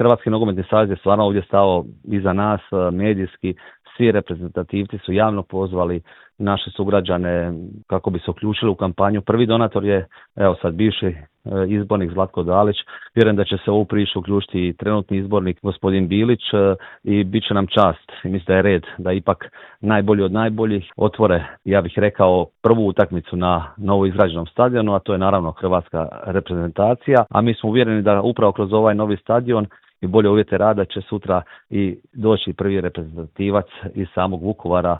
Hrvatski nogometni savez je stvarno ovdje stao iza nas medijski. Svi reprezentativci su javno pozvali naše sugrađane kako bi se uključili u kampanju. Prvi donator je, evo sad, bivši izbornik Zlatko Dalić. Vjerujem da će se u ovu priču uključiti i trenutni izbornik gospodin Bilić i bit će nam čast. I mislim da je red da ipak najbolji od najboljih otvore, ja bih rekao, prvu utakmicu na novo izgrađenom stadionu, a to je naravno hrvatska reprezentacija. A mi smo uvjereni da upravo kroz ovaj novi stadion i bolje uvjete rada će sutra i doći prvi reprezentativac iz samog Vukovara